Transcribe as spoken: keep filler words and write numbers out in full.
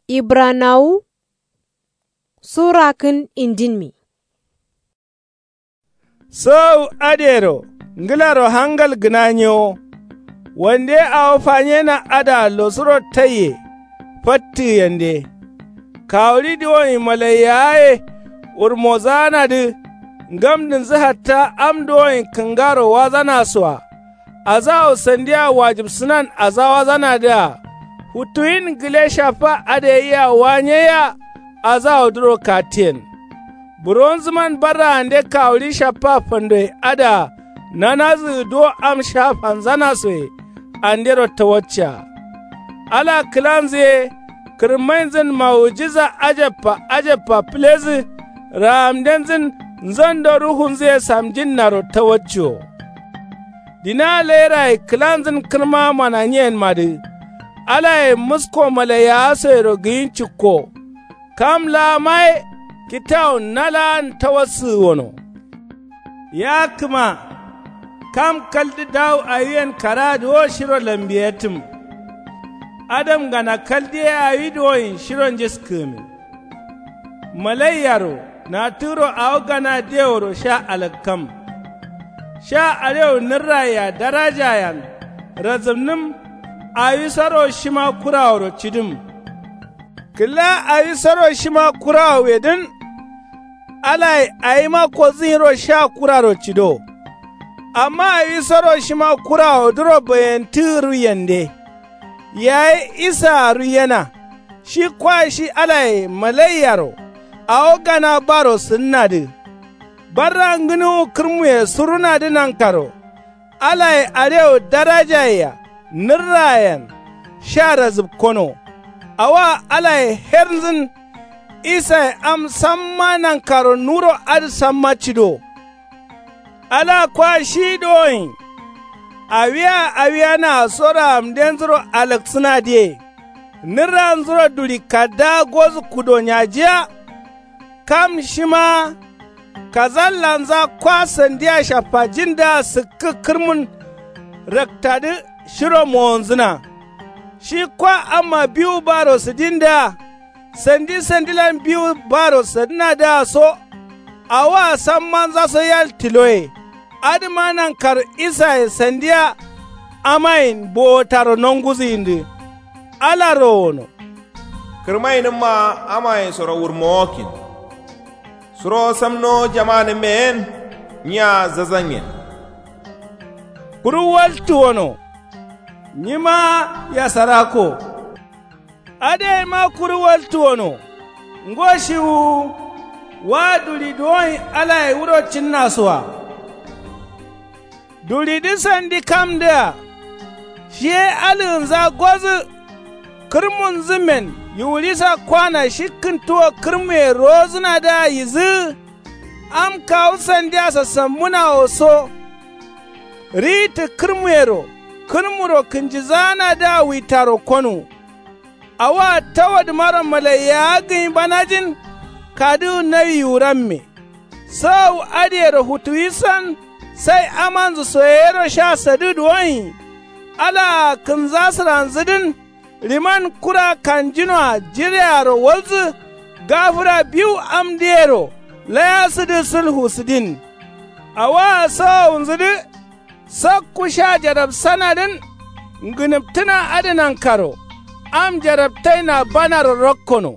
Ibranawu sura kǝn indinmi. Sǝwawu adǝyero ngǝlaro hangal gǝna nyewo. Wande awo fanyena adǝa losuro taiye fattǝgǝyende. Kawuɍi duwonyi malaiyawaye wurmozaanadǝ ngamdǝnzǝ hatta am duwonyi kǝngaro wazanasoa. Azawo sandia wajibsǝnan azawasanadǝa futuwin gǝle shaffa adǝ yayea wa nyeyea. Azawodǝro kattiyen buronzǝman barraande kawuɍi shaffa fandoye adǝa nanazǝgǝ duwo am sha fanzanasoye andero tawaccea. Ala kǝlanzǝ ye kǝrmainzǝn mawujiza ajabba ajabba fǝlezǝ. Raamdenzǝn nzando ruhunzǝye samjinnaro tawacciwo. Dina lairaye kǝlanzǝn kǝrma mananyiyenmadǝ alaye musko malaiyawasoyero gǝyin cikko. Kam laamaye kitawun na laan tawassǝgǝ wono. Ya kǝma kam kaldǝ dawu awiyen karadǝ wo shiro lambiyetǝm. Adamgana kaldǝ ye awi duwonyi shiro njiskǝgǝmin. Malaiyaro natǝgǝro awo gana deworo sha alakkam. Sha alewu nǝrrayea darajayen razǝmnǝm. Awisoro shima kuraworo cidǝm. Kǝla awisoro shima kurawowedǝn. Alaye awima kodzǝnyiro sha kuraro cido. Amma awisoro shima kurawodǝro bayentǝgǝ ruiyende. Yayi isaa ruiyena. Shi kwa shi alaye malaiyaro awo gana baro sǝnnadǝ. Barra ngǝnuwu kǝrmuye surunadǝ nankaro. Alaye alewu darajayea nǝrrayen sha razǝpkono. Awoa alaye hernzǝn. Isaye am samma nankaro nuro adǝ samma cido. Ala kwa shi duwonyi awia awiyanaa so raamdenzuro alaksǝnadǝye. Nǝrranzuro duɍi kaddaa gozǝ kudo nyajiya. Kam shima kazallanza kwa sandia shaffajindǝa sǝkkǝ kǝrmun. Raktadǝ shiro mowonzǝna. Shi kwa amma biwu baro sǝdindǝa sandi sandilan biwu baro sǝdǝnadǝa so. Awoa sammanzaso yal tiloye. Adǝma nankaro isaye sandia amayen bowotaro nonguzǝyindǝ. Alaro wono. Kǝrmainǝmma amayensoro wurmowokkin. Suro samnowo jamanǝmmeyen nyiya zazanyen. Kuru waltu wono. Nyima yasarako. Adǝyeima kuru waltu wono. Ngo shiwu wa duɍi duwonyi alaye wuro cinnasoa. Duɍidǝ sandi kamdǝa. Shiye alǝgǝnza gozǝ. Kǝrmunzǝmmen yiwuɍisa kwana shi kǝntuwo kǝrmuye rowozǝnadǝa yizǝgǝ. Am kawu sandia sasambǝnawo so. Riyittǝ kǝrmuyero kǝrmuro kǝnjizaanadǝa witaro konu. Awoa tawadǝmaro malaiyawa gǝnyi banajin. Kadǝwu nawi yiwuramme. Sawawu adǝyero futuwisan. Sai amanzǝ soyeyero sha sadǝ duwonyi. Alaa kǝnzasǝranzǝdǝn. Liman kura kanjinoa jirearo walzǝ. Gafǝra biwu amdǝyero layasǝdǝ sǝlfusǝdin. Awoa sawawunzǝdǝ. Sakku sha jarabsanadǝn. Ngǝnǝptǝna adǝ nankaro am jarabtaina banaro rakkono.